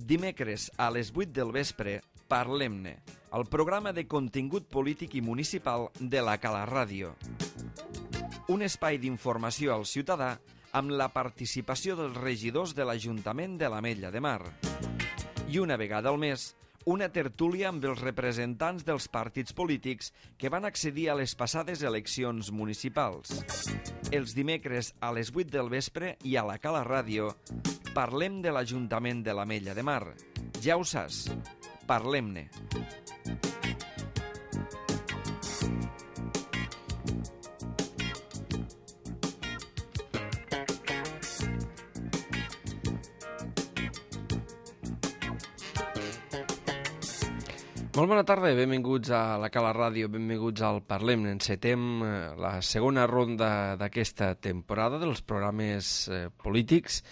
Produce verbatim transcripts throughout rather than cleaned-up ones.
dimecres a les vuit del vespre, Parlem-ne, el programa de contingut polític i municipal de la Cala Ràdio. Un espai d'informació al ciutadà amb la participació dels regidors de l'Ajuntament de l'Ametlla de Mar. I una vegada al mes, una tertúlia amb els representants dels partits polítics que van accedir a les passades eleccions municipals. Els dimecres a les vuit del vespre i a la Cala Ràdio parlem de l'Ajuntament de l'Ametlla de Mar. Ja ho saps, parlem-ne. Molt bona tarda, benvinguts a la Cala Ràdio, benvinguts al Parlem-ne. Encetem la segona ronda d'aquesta temporada dels programes eh, polítics.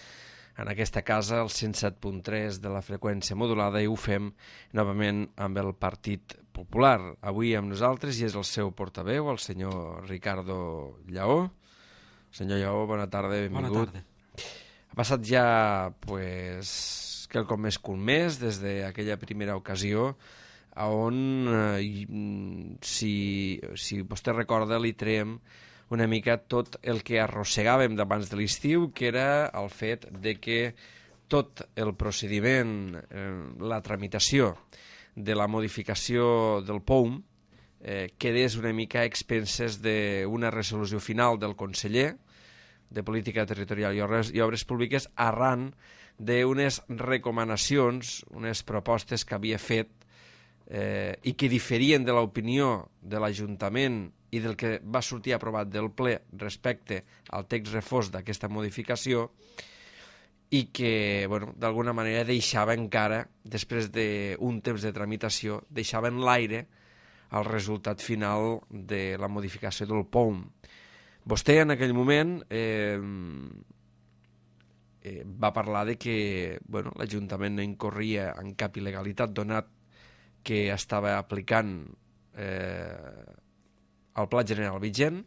En aquesta casa, el cent set punt tres de la freqüència modulada, i ho fem novament amb el Partit Popular. Avui amb nosaltres i és el seu portaveu, el senyor Ricardo Lleó. Senyor Lleó, bona tarda, benvingut. Bona tarda. Ha passat ja, pues, quelcom més que un mes des d'aquella primera ocasió on, eh, si, si vostè recorda, li traiem una mica tot el que arrossegàvem d'abans de l'estiu, que era el fet de que tot el procediment, eh, la tramitació de la modificació del P O U M eh, quedés una mica a expenses d'una resolució final del conseller de Política Territorial i Obres, i Obres Públiques arran d'unes recomanacions, unes propostes que havia fet eh, i que diferien de l'opinió de l'Ajuntament i del que va sortir aprovat del ple respecte al text refós d'aquesta modificació, i que, bueno, d'alguna manera deixava encara, després d'un temps de tramitació, deixava en l'aire el resultat final de la modificació del P O U M. Vostè en aquell moment eh, eh, va parlar de que, bueno, l'Ajuntament no incorria en cap il·legalitat, donat que estava aplicant eh, el Pla General vigent,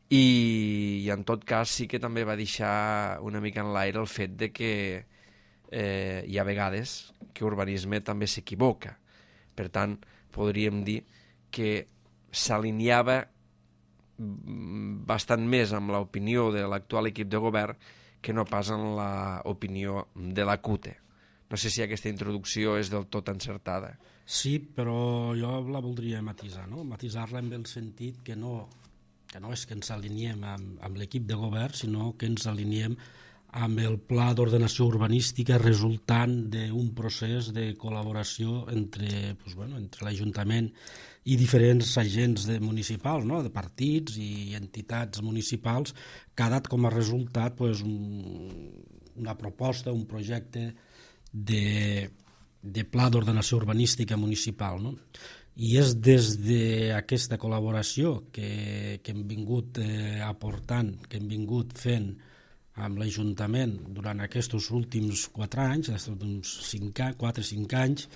i, i en tot cas sí que també va deixar una mica en l'aire el fet de que eh, hi ha vegades que urbanisme també s'equivoca. Per tant, podríem dir que s'alineava bastant més amb l'opinió de l'actual equip de govern que no pas amb l'opinió de la C U T E. No sé si aquesta introducció és del tot encertada. Sí, però jo la voldria matisar, no? Matisar-la en el sentit que no, que no és que ens aliniem amb, amb l'equip de govern, sinó que ens aliniem amb el pla d'ordenació urbanística resultant d'un procés de col·laboració entre, pues bueno, entre l'Ajuntament i diferents agents de municipals, no? De partits i entitats municipals, que ha dat com a resultat pues, un, una proposta, un projecte de, de pla d'ordenació urbanística municipal, no? I és des d'aquesta col·laboració que, que hem vingut eh, aportant, que hem vingut fent amb l'Ajuntament durant aquests últims quatre anys, uns quatre o cinc anys,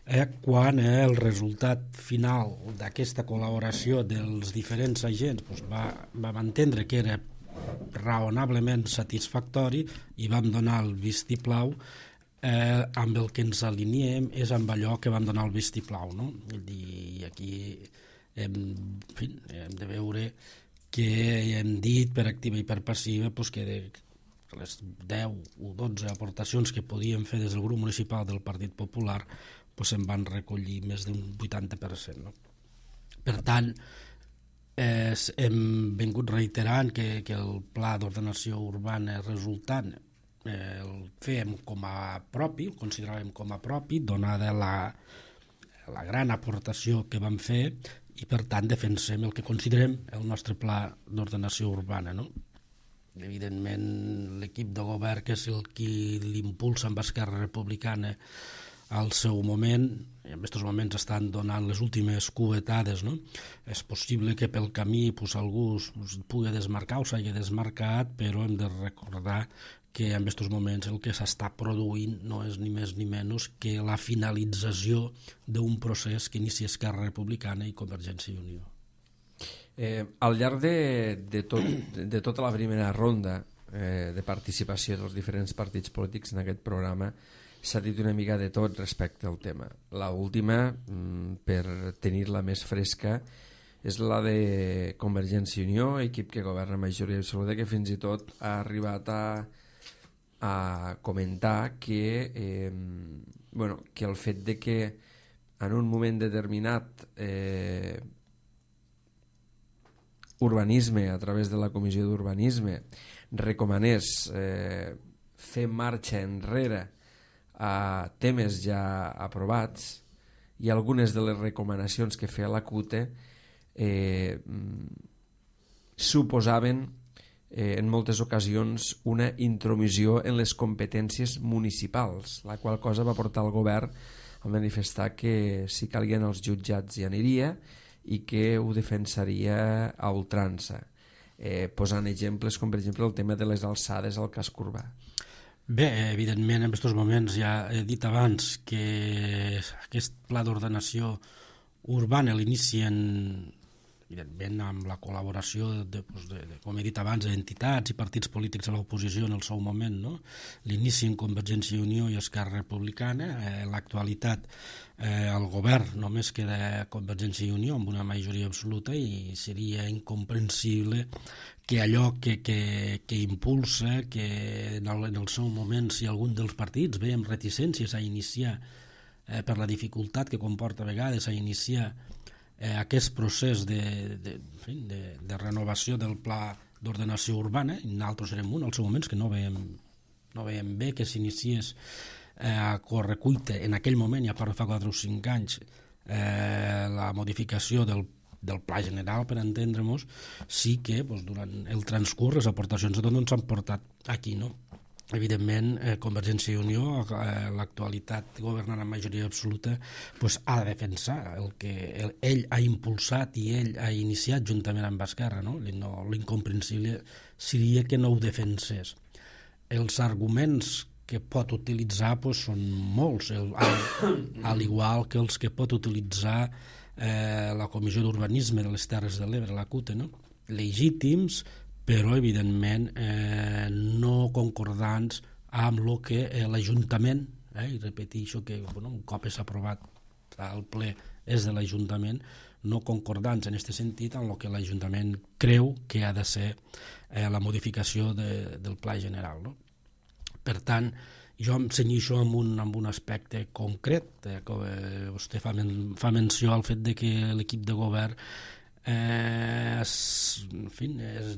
eh, quan eh, el resultat final d'aquesta col·laboració dels diferents agents pues, va, vam entendre que era raonablement satisfactori i vam donar el vistiplau. Eh, amb el que ens aliniem és amb allò que vam donar el vistiplau, no? I aquí hem, en fi, hem de veure que hem dit per activa i per passiva pues, que de les deu o dotze aportacions que podíem fer des del grup municipal del Partit Popular pues, se'n van recollir més d'un vuitanta per cent. No? Per tant, eh, hem vingut reiterant que, que el pla d'ordenació urbana resultant el fèiem com a propi, el consideràvem com a propi, donada la, la gran aportació que vam fer, i per tant defensem el que considerem el nostre pla d'ordenació urbana. No? Evidentment, l'equip de govern, que és el qui l'impulsa amb Esquerra Republicana al seu moment, i en aquests moments estan donant les últimes cuetades, no? És possible que pel camí pues, algú es pugui desmarcar o s'hagi desmarcat, però hem de recordar que en aquests moments el que s'està produint no és ni més ni menys que la finalització d'un procés que inicia Esquerra Republicana i Convergència i Unió. Eh, al llarg de, de, tot, de tota la primera ronda eh, de participació dels diferents partits polítics en aquest programa, s'ha dit una mica de tot respecte al tema. La última, per tenir-la més fresca, és la de Convergència i Unió, equip que governa majoria absoluta, que fins i tot ha arribat a, a comentar que, eh, bueno, que el fet de que en un moment determinat eh, urbanisme, a través de la Comissió d'Urbanisme, recomanés eh, fer marxa enrere a temes ja aprovats, i algunes de les recomanacions que feia la C U T E eh, suposaven eh, en moltes ocasions una intromissió en les competències municipals, la qual cosa va portar el govern a manifestar que si calguien els jutjats hi aniria i que ho defensaria a ultrança, eh, posant exemples com per exemple el tema de les alçades al casc urbà. Bé, evidentment en aquests moments ja he dit abans que aquest pla d'ordenació urbana l'inicien evidentment amb la col·laboració de, de, de, com he dit abans, d'entitats i partits polítics a l'oposició en el seu moment, no? L'inici en Convergència i Unió i Esquerra Republicana. Eh, en l'actualitat eh, el govern només queda Convergència i Unió amb una majoria absoluta i seria incomprensible que allò que, que, que impulsa, que en el, en el seu moment, si algun dels partits ve amb reticències a iniciar eh, per la dificultat que comporta a vegades a iniciar eh, aquest procés de, de, de, de renovació del pla d'ordenació urbana, i nosaltres érem un als moments que no veiem, no veiem bé que s'iniciés eh, a correcuita en aquell moment, ja fa quatre o cinc anys, eh, la modificació del del pla general, per entendre-nos, sí que doncs, durant el transcurs les aportacions de tot no ens han portat aquí, no? Evidentment, eh, Convergència i Unió, eh, l'actualitat governant amb majoria absoluta, pues, ha de defensar el que el, ell ha impulsat i ell ha iniciat juntament amb Esquerra, no? No, l'incomprensible seria que no ho defensés. Els arguments que pot utilitzar pues, són molts, el, al, al igual que els que pot utilitzar Eh, la Comissió d'Urbanisme de les Terres de l'Ebre, la C U T E, no? Legítims, però evidentment eh, no concordants amb el que eh, l'Ajuntament, eh, i repeteixo que bueno, un cop és aprovat al ple és de l'Ajuntament, no concordants en aquest sentit amb el que l'Ajuntament creu que ha de ser eh, la modificació de, del pla general, no? Per tant, jo em cenyixo amb un, amb un aspecte concret, eh, que eh, vostè fa, men, fa menció al fet de que l'equip de govern eh, es, en fi, es,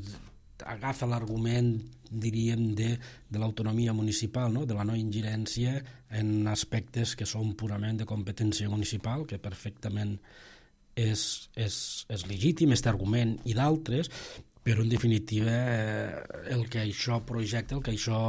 agafa l'argument, diríem, de, de l'autonomia municipal, no? De la no ingerència en aspectes que són purament de competència municipal, que perfectament és, és, és legítim, aquest argument i d'altres, però en definitiva eh, el que això projecta, el que això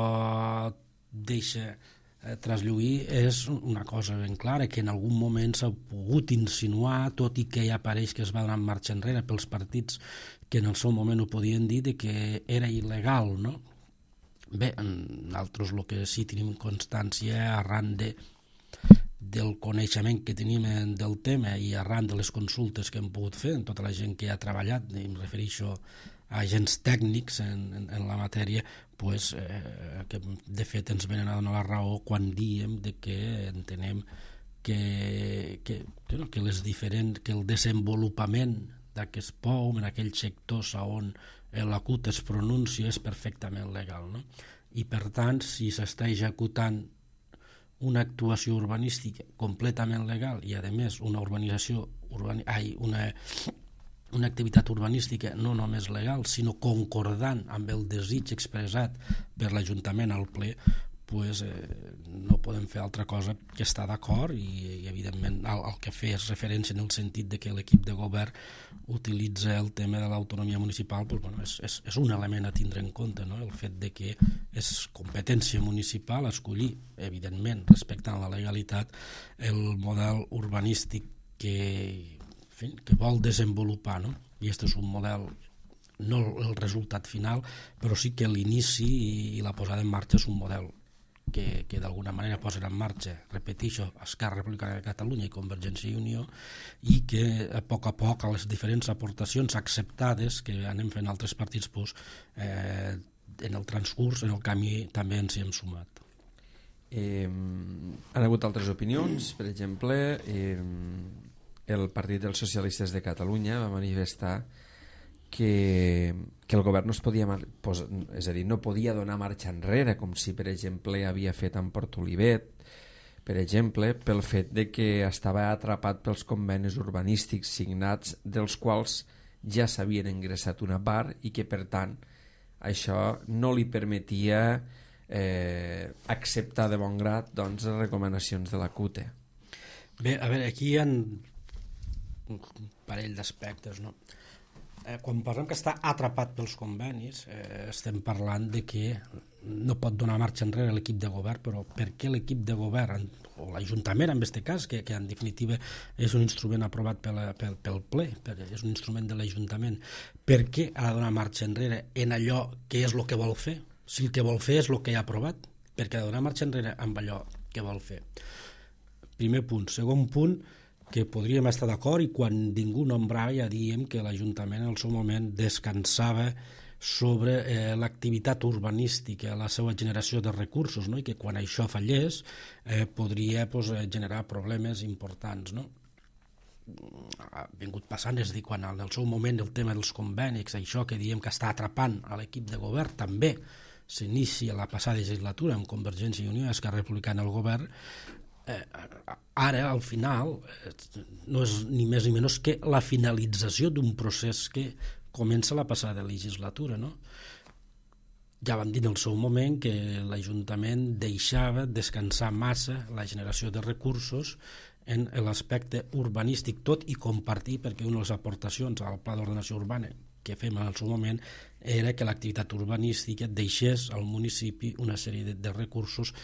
deixa eh, traslluir és una cosa ben clara, que en algun moment s'ha pogut insinuar, tot i que ja pareix que es va donar marxa enrere pels partits que en el seu moment ho podien dir, de que era il·legal, no? Bé, nosaltres el que sí tenim constància arran de, del coneixement que tenim del tema i arran de les consultes que hem pogut fer en tota la gent que ha treballat, i em refereixo a agents tècnics en, en, en la matèria, pues, eh, que de fet ens venen a donar la raó quan diem de que entenem que, que, que, no, que, les diferents, que el desenvolupament d'aquest P O U en aquells sectors on la C U T E es pronuncia és perfectament legal, no? I per tant, si s'està executant una actuació urbanística completament legal i a més una urbanització urbani... ai, una una activitat urbanística no només legal, sinó concordant amb el desig expressat per l'Ajuntament al ple, pues, eh, no podem fer altra cosa que estar d'acord i, i evidentment el, el que fer és referència en el sentit de que l'equip de govern utilitza el tema de l'autonomia municipal, pues, bueno, és, és, és un element a tindre en compte, no? El fet de que és competència municipal escollir, evidentment, respectant la legalitat, el model urbanístic que que vol desenvolupar, no? I aquest és un model, no el resultat final, però sí que l'inici i la posada en marxa és un model que, que d'alguna manera posen en marxa, repeteixo, Esquerra Republicana de Catalunya i Convergència i Unió, i que a poc a poc a les diferents aportacions acceptades que anem fent altres partits, pues, eh, en el transcurs, en el camí, també ens hi hem sumat. Eh, han hagut altres opinions, per exemple, eh, el Partit dels Socialistes de Catalunya va manifestar que, que el govern no es podia, pos, és a dir, no podia donar marxa enrere, com si, per exemple, havia fet en Port Olivet, per exemple, pel fet de que estava atrapat pels convenis urbanístics signats, dels quals ja s'havien ingressat una part i que, per tant, això no li permetia eh, acceptar de bon grat, doncs, les recomanacions de la C U T E. Bé, a veure, aquí hi ha un parell d'aspectes, no? Eh, quan parlem que està atrapat pels convenis, eh, estem parlant de que no pot donar marxa enrere l'equip de govern, però per què l'equip de govern, o l'Ajuntament en aquest cas, que, que en definitiva és un instrument aprovat pel, pel, pel ple, per, és un instrument de l'Ajuntament, per què ha de donar marxa enrere en allò que és el que vol fer? Si el que vol fer és el que ha aprovat, per què ha de donar marxa enrere amb allò que vol fer? Primer punt. Segon punt, que podríem estar d'acord, i quan ningú nombrava ja diem que l'Ajuntament en el seu moment descansava sobre eh, l'activitat urbanística, la seva generació de recursos, no? I que quan això fallés eh, podria pues, generar problemes importants, no? Ha vingut passant, és a dir, quan en el seu moment el tema dels convenis, això que diem que està atrapant a l'equip de govern, també s'inicia la passada legislatura amb Convergència i Unió i Esquerra Republicana al govern. Eh, ara, al final, eh, no és ni més ni menys que la finalització d'un procés que comença la passada legislatura, no? Ja vam dir en el seu moment que l'Ajuntament deixava descansar massa la generació de recursos en l'aspecte urbanístic, tot i compartir, perquè una de les aportacions al Pla d'Ordenació Urbana que fem en el seu moment era que l'activitat urbanística deixés al municipi una sèrie de, de recursos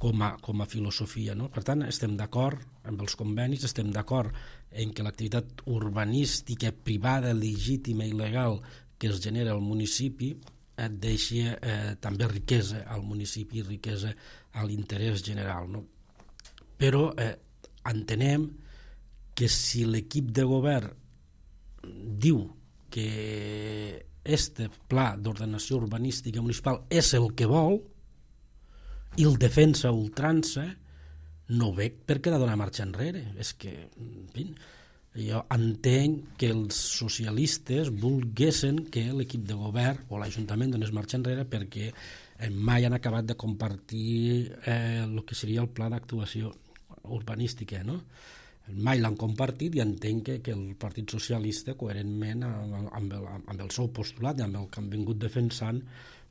com a, com a filosofia, no? Per tant, estem d'acord amb els convenis, estem d'acord en que l'activitat urbanística privada, legítima i legal que es genera al municipi et deixi eh, també riquesa al municipi i riquesa a l'interès general, no? Però eh, entenem que si l'equip de govern diu que este pla d'ordenació urbanística municipal és el que vol i el defensa a ultrança, no veig per què ha de donar marxa enrere. És que, en fi, jo entenc que els socialistes volguessin que l'equip de govern o l'Ajuntament donés marxa enrere perquè mai han acabat de compartir eh, el que seria el pla d'actuació urbanística, no? Mai l'han compartit i entenc que, que el Partit Socialista, coherentment amb, amb, el, amb el seu postulat i amb el que han vingut defensant,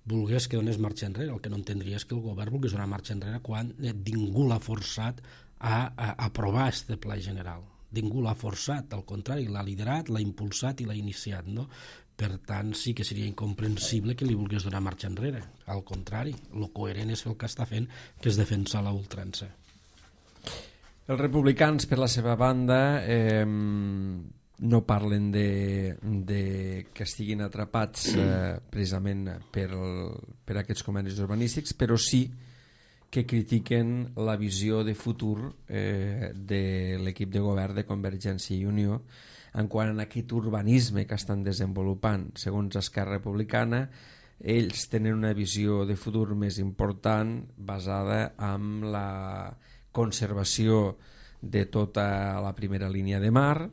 volgués que donés marxa enrere. El que no entendria és que el govern volgués donar marxa enrere quan ningú l'ha forçat a, a aprovar este pla general. Ningú l'ha forçat, al contrari, l'ha liderat, l'ha impulsat i l'ha iniciat, no? Per tant, sí que seria incomprensible que li volgués donar marxa enrere. Al contrari, el coherent és el que està fent, que és defensar la ultrança. Els republicans, per la seva banda, eh, no parlen de, de que estiguin atrapats eh, precisament per, el, per aquests convenis urbanístics, però sí que critiquen la visió de futur eh, de l'equip de govern de Convergència i Unió en quant a aquest urbanisme que estan desenvolupant. Segons Esquerra Republicana, ells tenen una visió de futur més important basada en la conservació de tota la primera línia de mar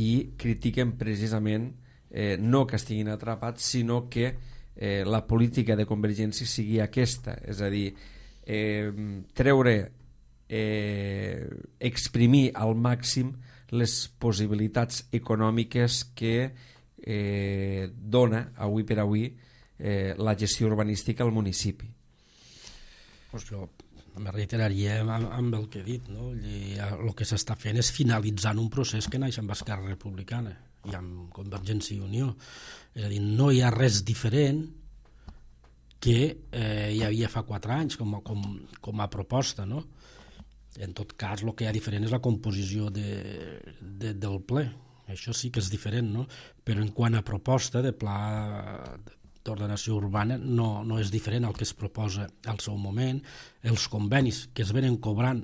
i critiquen precisament eh, no que estiguin atrapats, sinó que eh, la política de Convergència sigui aquesta, és a dir, eh, treure, eh, exprimir al màxim les possibilitats econòmiques que eh, dona avui per avui eh, la gestió urbanística al municipi. Pues jo me reiteraria amb, amb el que he dit, no? I el que s'està fent és finalitzant un procés que naix amb Esquerra Republicana i amb Convergència i Unió. És a dir, no hi ha res diferent que eh, hi havia fa quatre anys com a, com, com a proposta, no? En tot cas, el que hi ha diferent és la composició de, de, del ple. Això sí que és diferent, no? Però en quant a proposta de pla d'ordenació urbana no, no és diferent al que es proposa al seu moment. Els convenis que es venen cobrant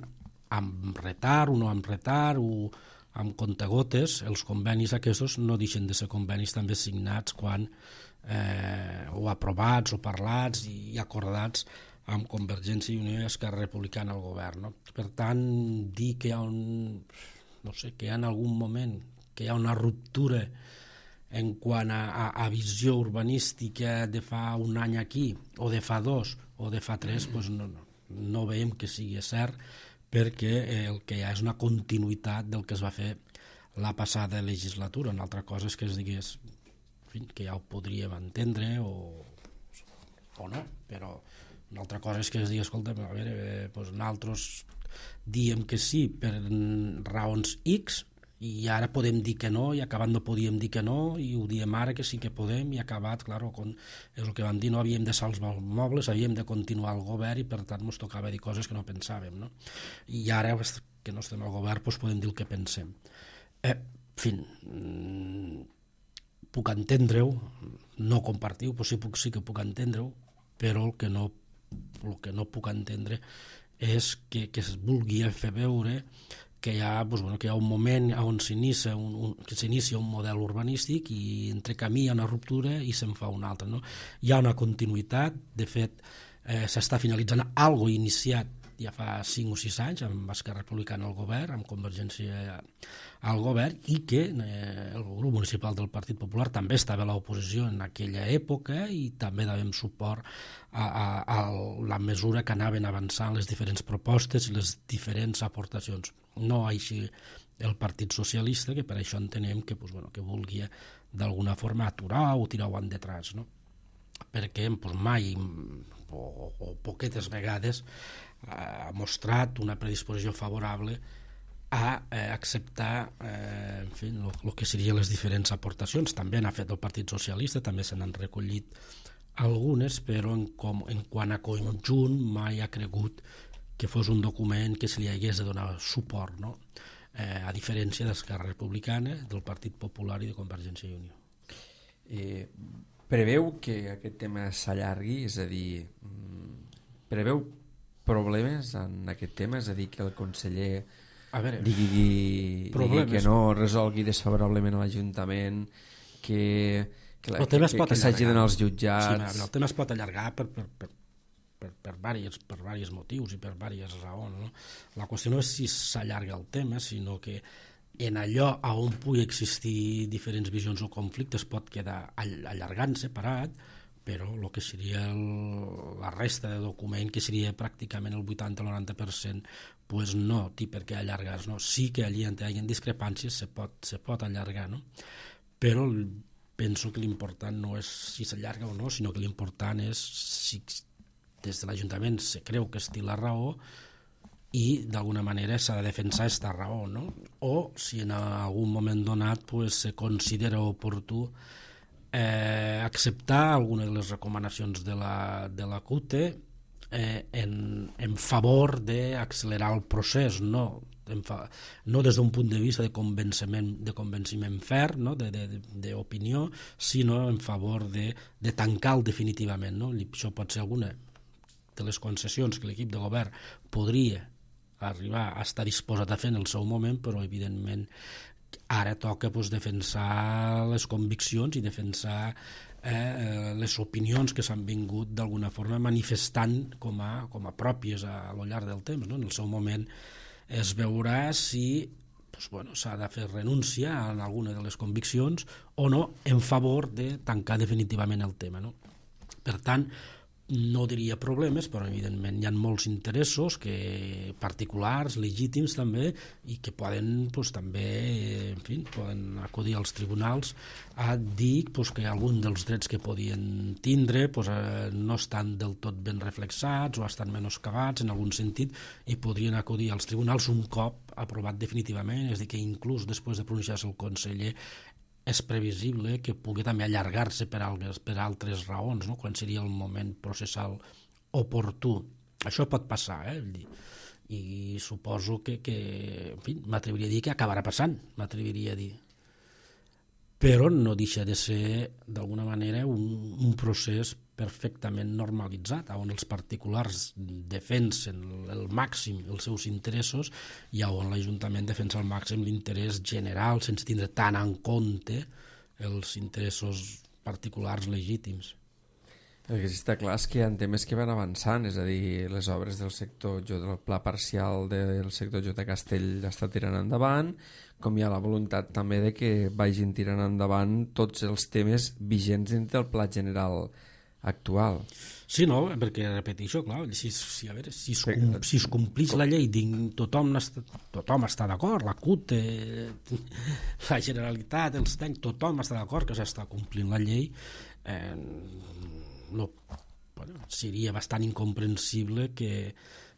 amb retard o no amb retard o amb contagotes, els convenis aquests no deixen de ser convenis també signats quan eh, o aprovats o parlats i acordats amb Convergència i Unió i Esquerra Republicana al govern, no? Per tant, dir que hi ha un, no sé, que hi ha en algun moment que hi ha una ruptura en quant a, a, a visió urbanística de fa un any aquí, o de fa dos, o de fa tres, doncs no, no, no veiem que sigui cert, perquè el que hi ha és una continuïtat del que es va fer la passada legislatura. Una altra cosa és que es digués, en fi, que ja ho podríem entendre o, o no, però una altra cosa és que es digui, escolta, a veure, eh, doncs nosaltres diem que sí per raons X i ara podem dir que no, i acabat no podíem dir que no, i ho diem ara que sí que podem, i acabat, clar, és el que vam dir, no havíem de salvar els mobles, havíem de continuar al govern i per tant ens tocava dir coses que no pensàvem, no? I ara que no estem al govern doncs podem dir el que pensem. Eh, en fi, puc entendre-ho, no compartir-ho, però sí, puc, sí que puc entendre-ho, però el que no, el que no puc entendre és que, que es vulgui fer veure que hi ha, doncs, bueno, que hi ha un moment on s'inicia un, un, que s'inicia un model urbanístic i entre camí hi ha una ruptura i se'n fa una altra, no? Hi ha una continuïtat, de fet eh, s'està finalitzant algo iniciat ja fa cinc o sis anys amb Esquerra Republicana al govern, amb Convergència al govern, i que eh, el grup municipal del Partit Popular també estava a l'oposició en aquella època i també dàvem suport a, a, a la mesura que anaven avançant les diferents propostes i les diferents aportacions. No així el Partit Socialista, que per això entenem que, pues, bueno, que vulgui d'alguna forma aturar o tirar-ho endetrás, no? Perquè pues, mai o, o poquetes vegades ha mostrat una predisposició favorable a eh, acceptar eh, en fi, el que serien les diferents aportacions. També n'ha fet el Partit Socialista, també se n'han recollit algunes, però en, com, en quant a conjunt mai ha cregut que fos un document que se li hagués de donar suport, no? eh, a diferència d'Esquerra Republicana, del Partit Popular i de Convergència i Unió. Eh, preveu que aquest tema s'allargui, és a dir, preveu problemes en aquest tema, és a dir, que el conseller a veure, digui, digui que no resolgui desfavorablement a l'Ajuntament, que, que, la, que, que, que s'hagi d'anar als jutjats... Sí, el tema es pot allargar per, per, per, per, per, diversos, per diversos motius i per diverses raons, no? La qüestió no és si s'allarga el tema, sinó que en allò on pugui existir diferents visions o conflictes pot quedar allargant, separat, però el que seria el, la resta de document, que seria pràcticament el vuitanta o noranta per cent, pues no té per què allargar-se, no? Sí que allí on hi ha discrepàncies se pot, se pot allargar, no? Però penso que l'important no és si s'allarga o no, sinó que l'important és si des de l'Ajuntament se creu que es té la raó i d'alguna manera s'ha de defensar aquesta raó, no? O si en algun moment donat pues, se considera oportú Eh, acceptar alguna de les recomanacions de la, de la C U T E eh, en, en favor d'accelerar el procés, no, fa, no des d'un punt de vista de convenciment, de convenciment ferm, no, d'opinió, sinó en favor de, de tancar-lo definitivament, no? Això pot ser alguna de les concessions que l'equip de govern podria arribar a estar disposat a fer en el seu moment, però evidentment ara toca pues, defensar les conviccions i defensar eh, les opinions que s'han vingut d'alguna forma manifestant com a, com a pròpies a, a lo llarg del temps, no? En el seu moment es veurà si pues, bueno, s'ha de fer renúncia a alguna de les conviccions o no en favor de tancar definitivament el tema, no? Per tant, no diria problemes, però evidentment hi ha molts interessos que, particulars, legítims també, i que poden pues, també en fi, poden acudir als tribunals a dir pues, que algun dels drets que podien tindre pues, eh, no estan del tot ben reflexats o estan menoscabats en algun sentit i podrien acudir als tribunals un cop aprovat definitivament, és a dir, que inclús després de pronunciar-se el conseller és previsible que pugui també allargar-se per, altres, per altres raons, no? Quan seria el moment processal oportú. Això pot passar, eh? I suposo que, que en fi, m'atreviria a dir que acabarà passant, m'atreviria a dir. Però no deixa de ser, d'alguna manera, un, un procés perfectament normalitzat, on els particulars defensen el màxim els seus interessos i on l'Ajuntament defensa al màxim l'interès general sense tindre tant en compte els interessos particulars legítims. El que sí està clar és que hi ha temes que van avançant, és a dir, les obres del sector, del pla parcial del sector J Castell està tirant endavant, com hi ha la voluntat també de que vagin tirant endavant tots els temes vigents dins del pla general actual. Sí, no, perquè repeteixo, clar, si, si, a veure, si, es, com, si es complís la llei, ding, tothom, està, tothom està d'acord, la C U T, eh, la Generalitat, els tancs, tothom està d'acord que s'està complint la llei, eh, no, bueno, seria bastant incomprensible que,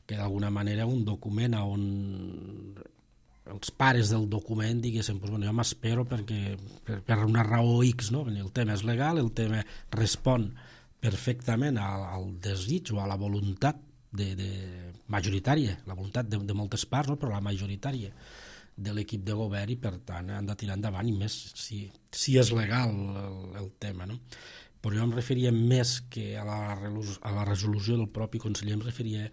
que d'alguna manera un document on els pares del document diguessin, pues, bueno, jo m'espero perquè per, per una raó X, no? El tema és legal, el tema respon perfectament al, al desig o a la voluntat de, de majoritària, la voluntat de, de moltes parts, no? Però la majoritària de l'equip de govern, i per tant han de tirar endavant, i més si, si és legal el, el tema, no? Però jo em referia més que a la, a la resolució del propi conseller, em referia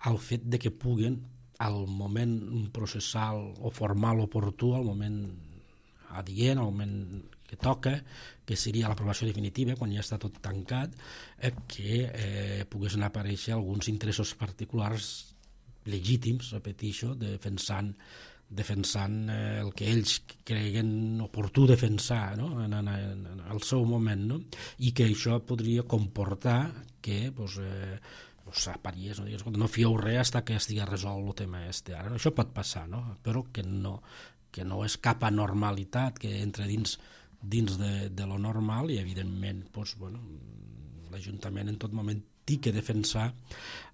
al fet de que puguen al moment processal o formal oportú, al moment adient, al moment que toca, que seria l'aprovació definitiva, quan ja està tot tancat, eh, que eh, poguessin aparèixer alguns interessos particulars legítims, repeteixo, defensant, defensant eh, el que ells creguen oportú defensar, no? en, en, en, en el seu moment, no? I que això podria comportar que pues, eh, s'apariés, no digues, no fieu res fins que estigui resolt el tema este. Ara, això pot passar, no? Però que no, que no és cap anormalitat, que entra dins, dins de, de lo normal, i evidentment doncs, bueno, l'Ajuntament en tot moment té que defensar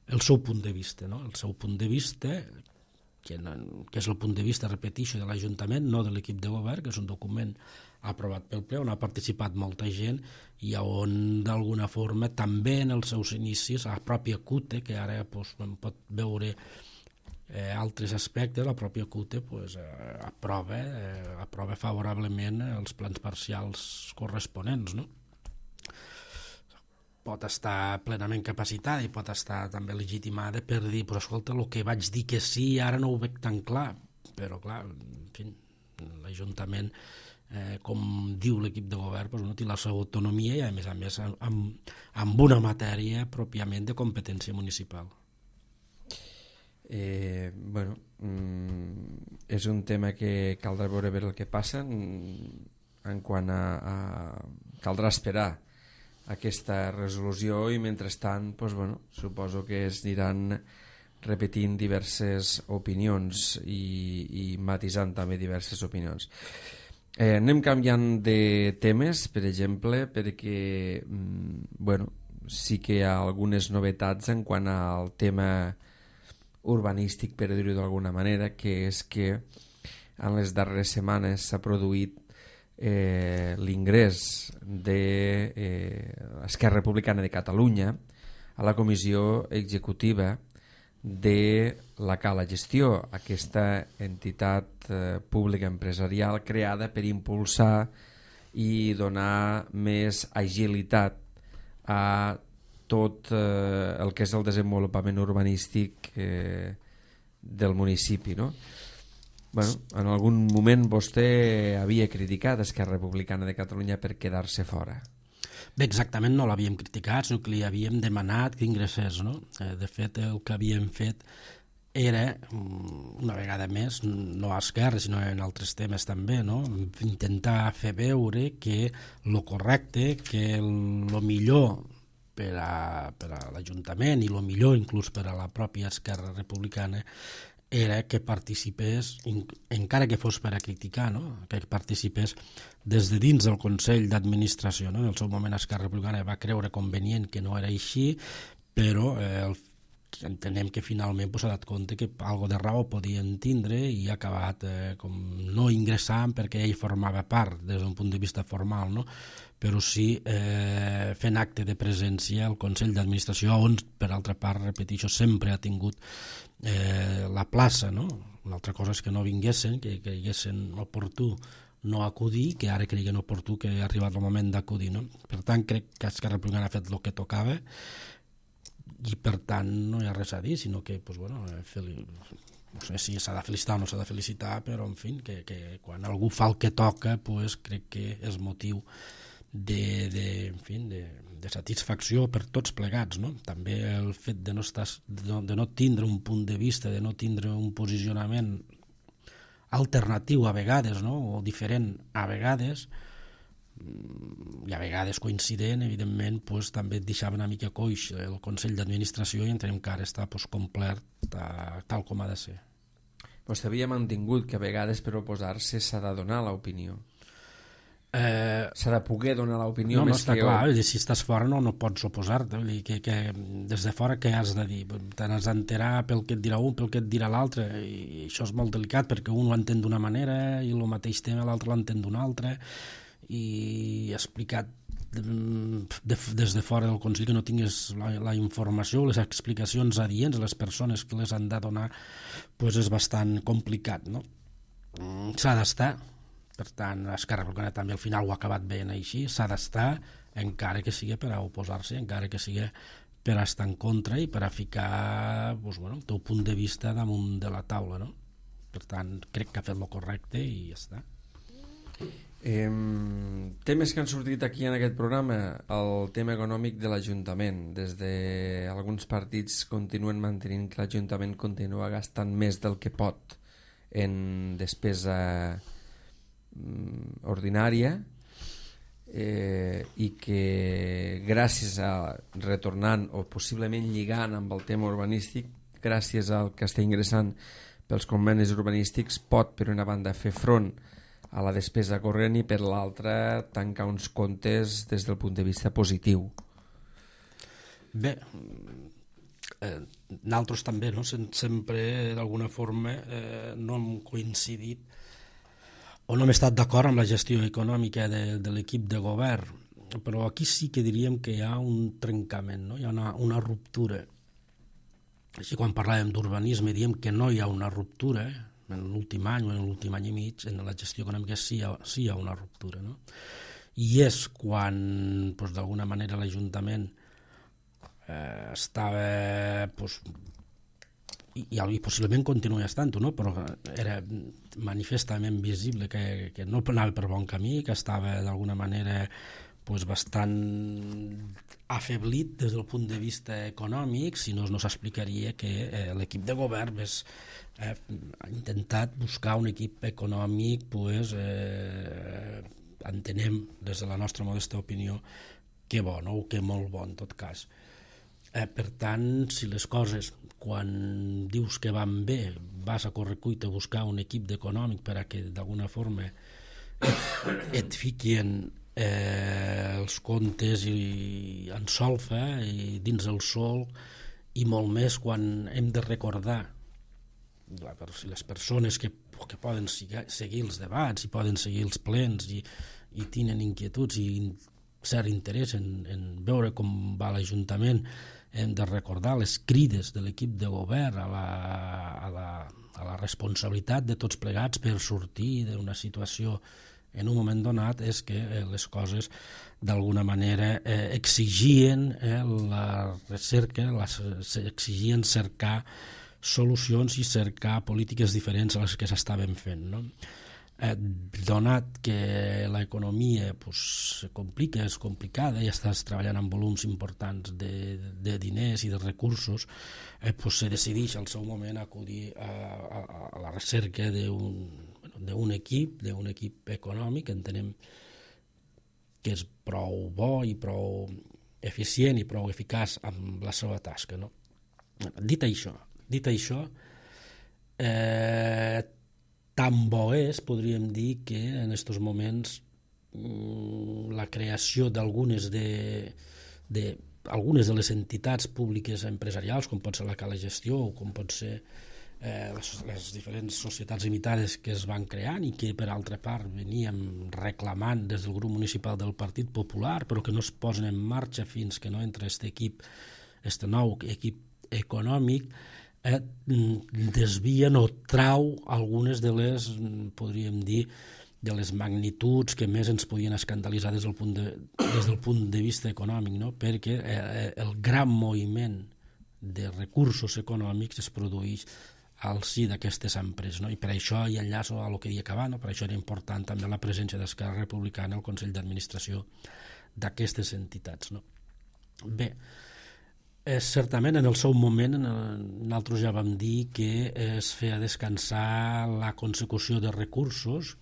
el seu punt de vista, no? El seu punt de vista, que, no, que és el punt de vista, repeteixo, de l'Ajuntament, no de l'equip de govern, que és un document aprovat pel ple, on ha participat molta gent i on d'alguna forma també en els seus inicis la pròpia C U T E, que ara pues, pot veure eh, altres aspectes, la pròpia C U T E pues, eh, aprova, eh, aprova favorablement els plans parcials corresponents, no? Pot estar plenament capacitada i pot estar també legitimada per dir, però escolta, el que vaig dir que sí ara no ho veig tan clar, però clar, en fi, l'Ajuntament, eh, com diu l'equip de govern, doncs, no té la seva autonomia i a més a més amb, amb una matèria pròpiament de competència municipal. Eh, bueno, mm, és un tema que caldrà veure bé el que passa en quant a, a caldrà esperar aquesta resolució, i mentrestant doncs, bueno, suposo que es aniran repetint diverses opinions i, i matisant també diverses opinions. Eh, anem canviant de temes, per exemple, perquè mm, bueno, sí que hi ha algunes novetats en quant al tema urbanístic, per dir-ho d'alguna manera, que és que en les darreres setmanes s'ha produït eh, l'ingrés de eh, Esquerra Republicana de Catalunya a la comissió executiva de la Cala Gestió, aquesta entitat eh, pública empresarial creada per impulsar i donar més agilitat a tot eh, el que és el desenvolupament urbanístic eh, del municipi, no? Bueno, en algun moment vostè havia criticat Esquerra Republicana de Catalunya per quedar-se fora. Bé, exactament no l'havíem criticat, sinó que li havíem demanat que ingressés, no? De fet, el que havíem fet era, una vegada més, no a Esquerra, sinó en altres temes també, no? Intentar fer veure que el correcte, que el millor per a, per a l'Ajuntament i el millor inclús per a la pròpia Esquerra Republicana era que participés, encara que fos per a criticar, no? Que participés des de dins del Consell d'Administració, no? En el seu moment Esquerra Republicana va creure convenient que no era així, però eh, el, entenem que finalment s'ha dat compte que algo de raó podien tindre i ha acabat eh, com no ingressant perquè ell formava part des d'un punt de vista formal, no? Però sí eh, fent acte de presència al Consell d'Administració, on, per altra part, repeteixo, sempre ha tingut eh, la plaça, no? Una altra cosa és que no vinguessin, que creguessin oportú no acudir, que ara creguin oportú que ha arribat el moment d'acudir, no? Per tant, crec que Esquerra Republicana ha fet el que tocava i, per tant, no hi ha res a dir, sinó que, pues, bueno, no sé si s'ha de felicitar o no s'ha de felicitar, però, en fi, que, que quan algú fa el que toca, pues, crec que és motiu de, de, en fi, de, de satisfacció per tots plegats, no? També el fet de no, estar, de, no, de no tindre un punt de vista, de no tindre un posicionament alternatiu a vegades, no? O diferent a vegades, i a vegades coincident, evidentment, pues, també et deixava una mica coix el Consell d'Administració i entenem que ara està pues, complet a, tal com ha de ser. Vostè havia mantingut que a vegades per oposar-se s'ha de donar l'opinió. Eh, s'ha de poder donar l'opinió no, més no, està que... clar, jo... si estàs fora no, no pots oposar-te, que, que des de fora què has de dir? Te n'has d'enterar pel que et dirà un, pel que et dirà l'altre, i això és molt delicat perquè un ho entén d'una manera i el mateix tema l'altre l'entén d'una altra, i explicat de, de, des de fora del Consell que no tingués la, la informació, les explicacions adients, les persones que les han de donar, pues és bastant complicat, no? S'ha d'estar, per tant, Esquerra Republicana també al final ho ha acabat veient així, s'ha d'estar, encara que sigui per a oposar-se, encara que sigui per a estar en contra i per a ficar pues, bueno, el teu punt de vista damunt de la taula, no? Per tant, crec que ha fet el correcte i ja està. Eh, temes que han sortit aquí en aquest programa, el tema econòmic de l'Ajuntament. Des d'alguns partits continuen mantenint que l'Ajuntament continua gastant més del que pot en despesa mm, ordinària, eh, i que gràcies a retornant o possiblement lligant amb el tema urbanístic, gràcies al que està ingressant pels convenis urbanístics, pot per una banda fer front a la despesa corrent i per l'altra tancar uns comptes des del punt de vista positiu. Bé, eh, nosaltres també, no? Sempre d'alguna forma eh, no hem coincidit o no hem estat d'acord amb la gestió econòmica de, de l'equip de govern, però aquí sí que diríem que hi ha un trencament, no? Hi ha una, una ruptura. Així quan parlàvem d'urbanisme diem que no hi ha una ruptura, eh? En l'últim any o en l'últim any i mig, en la gestió econòmica sí hi ha, sí hi ha una ruptura, no? I és quan, doncs, d'alguna manera, l'Ajuntament eh, estava, doncs, i, i possiblement continua estant-ho, no? Però era manifestament visible que, que no anava per bon camí, que estava d'alguna manera pues, bastant afeblit des del punt de vista econòmic, si no no s'explicaria que eh, l'equip de govern és Eh, ha intentat buscar un equip econòmic pues, eh, entenem des de la nostra modesta opinió que bo, no? O que molt bo en tot cas. Eh, per tant, si les coses quan dius que van bé vas a correcuita a buscar un equip econòmic per a que d'alguna forma et, et fiquin eh, els comptes i en solfa i dins el sol, i molt més quan hem de recordar les persones que, que poden seguir els debats i poden seguir els plens i, i tenen inquietuds i cert interès en, en veure com va l'Ajuntament, hem de recordar les crides de l'equip de govern a la, a la, a la responsabilitat de tots plegats per sortir d'una situació en un moment donat, és que eh, les coses d'alguna manera eh, exigien eh, la recerca, les, exigien cercar solucions i cercar polítiques diferents a les que s'estaven fent, no? Eh, donat que l'economia pues, se complica, és complicada i estàs treballant amb volums importants de, de diners i de recursos, eh, pues, se decideix al seu moment acudir a, a, a la recerca d'un bueno, d'un equip, d'un equip econòmic, entenem que és prou bo i prou eficient i prou eficaç amb la seva tasca, no? Dit això, Dit això, eh, tan bo és, podríem dir, que en aquests moments mm, la creació d'algunes de, de, algunes de les entitats públiques empresarials, com pot ser la Cala Gestió o com pot ser eh, les, les diferents societats limitades que es van creant i que, per altra part, veníem reclamant des del grup municipal del Partit Popular, però que no es posen en marxa fins que no entra aquest equip, aquest nou equip econòmic, Eh, desvien o trau algunes de les, podríem dir, de les magnituds que més ens podien escandalitzar des del punt de, des del punt de vista econòmic, no? Perquè eh, el gran moviment de recursos econòmics es produeix al si d'aquestes empreses, no? I per això hi enllaço a el que deia abans, no? Per això era important també la presència d'Esquerra Republicana al Consell d'Administració d'aquestes entitats, no? Bé, eh, certament en el seu moment eh, nosaltres ja vam dir que es feia descansar la consecució de recursos,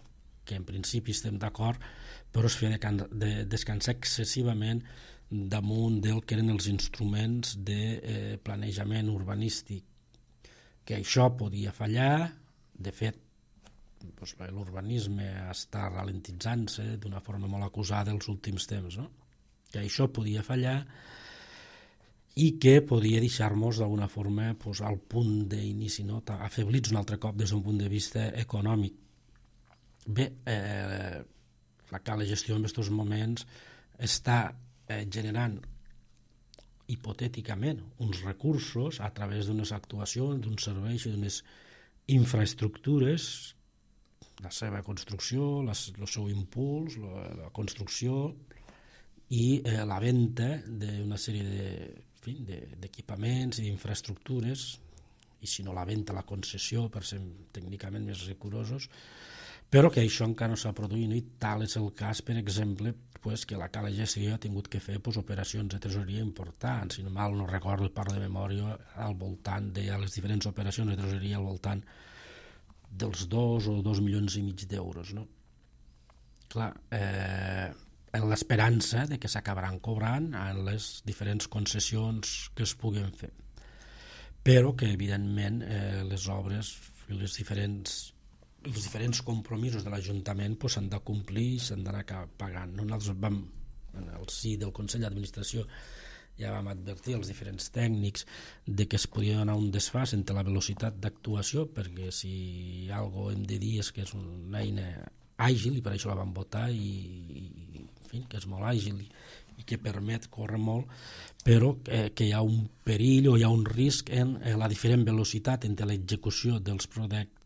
que en principi estem d'acord, però es feia de, de descansar excessivament damunt del que eren els instruments de eh, planejament urbanístic, que això podia fallar. De fet, doncs, l'urbanisme està ralentitzant-se d'una forma molt acusada els últims temps, no? Que això podia fallar i que podia deixar-nos d'alguna forma doncs, al punt d'inici, no? Afeblits un altre cop des d'un punt de vista econòmic. Bé, eh, la cala gestió en aquests moments està eh, generant hipotèticament uns recursos a través d'unes actuacions, d'uns serveis i d'unes infraestructures, la seva construcció, la, el seu impuls, la, la construcció i eh, la venda d'una sèrie de, en fi, de, d'equipaments i d'infraestructures, i si no la venda, la concessió, per ser tècnicament més rigorosos, però que això encara no s'ha produït, no? I tal és el cas, per exemple, pues, que la Cala Gestió ha tingut que fer pues, operacions de tresoreria importants, si no mal no recordo, parlo de memòria, al voltant de les diferents operacions de tresoreria al voltant dels dos o dos milions i mig d'euros, no? Clar, eh, en l'esperança de que s'acabaran cobrant en les diferents concessions que es puguen fer, però que evidentment eh, les obres i les diferents els diferents compromisos de l'Ajuntament pues, s'han de complir i s'han d'anar pagant. Nosaltres vam, en el si del Consell d'Administració, ja vam advertir als diferents tècnics de que es podia donar un desfàs entre la velocitat d'actuació, perquè si algo hem de dir és que és una eina àgil, i per això la vam votar, i, i en fi, que és molt àgil i, i que permet córrer molt, però eh, que hi ha un perill o hi ha un risc en eh, la diferent velocitat entre l'execució dels,